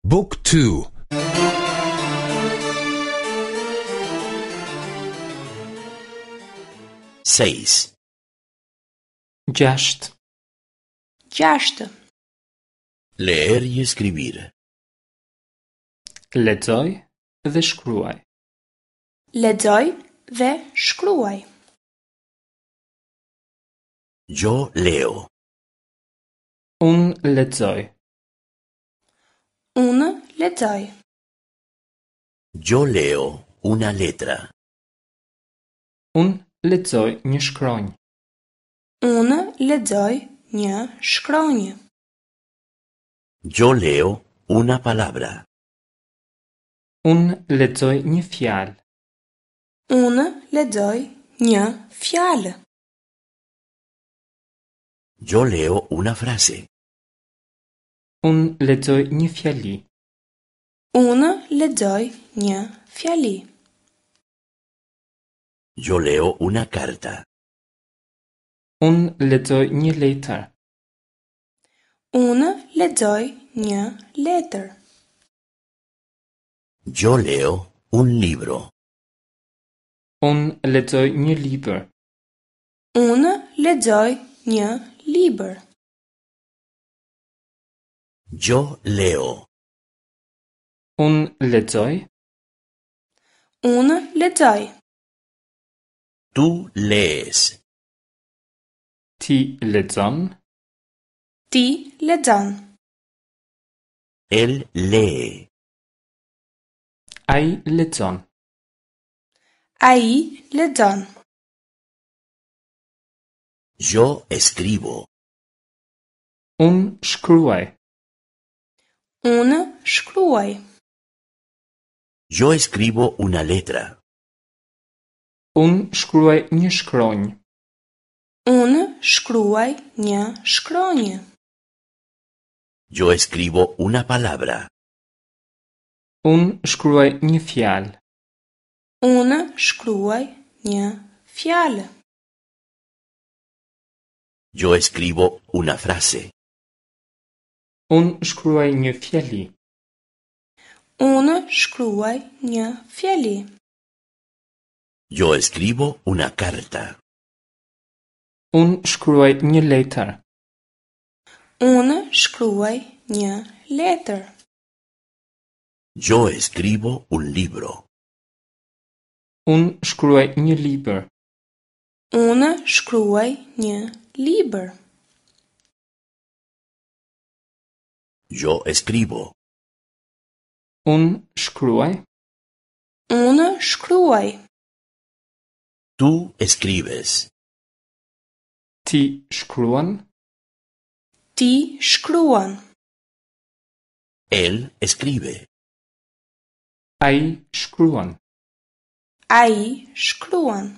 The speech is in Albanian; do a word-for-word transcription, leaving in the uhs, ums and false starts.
Book two. Seis. Gjashtë. Gjashtë. Leer y escribir. Lexoj dhe shkruaj. Lexoj dhe shkruaj. Yo leo. Unë lexoj. Unë lexoj. Yo leo una letra. Unë lexoj një shkronjë. Unë lexoj një shkronjë. Yo leo una palabra. Unë lexoj një fjalë. Unë lexoj një fjalë. Yo leo una frase. Unë lexoj një fjali. Unë lexoj një fjali. Yo leo una carta. Unë lexoj një letër. Unë lexoj një letër. Yo leo un libro. Unë lexoj një libër. Unë lexoj një libër. Yo leo. Unë lexoj. Unë lexoj. Tú lees. Ti lexon. Ti lexon. Él lee. Ai lexon. Ai lexon. Yo escribo. Unë shkruaj. Unë shkruaj. Yo escribo una letra. Unë shkruaj një shkronjë. Unë shkruaj një shkronjë. Yo escribo una palabra. Unë shkruaj një fjalë. Unë shkruaj një fjalë. Yo escribo una frase. Unë shkruaj një fjali. Unë shkruaj një fjali. Yo escribo una carta. Unë shkruaj një letër. Unë shkruaj një letër. Yo escribo un libro. Unë shkruaj një libër. Unë shkruaj një libër. Yo escribo. Unë shkruaj. Unë shkruaj. Tú escribes. Ti shkruan. Ti shkruan. Él escribe. Ai shkruan. Ai shkruan.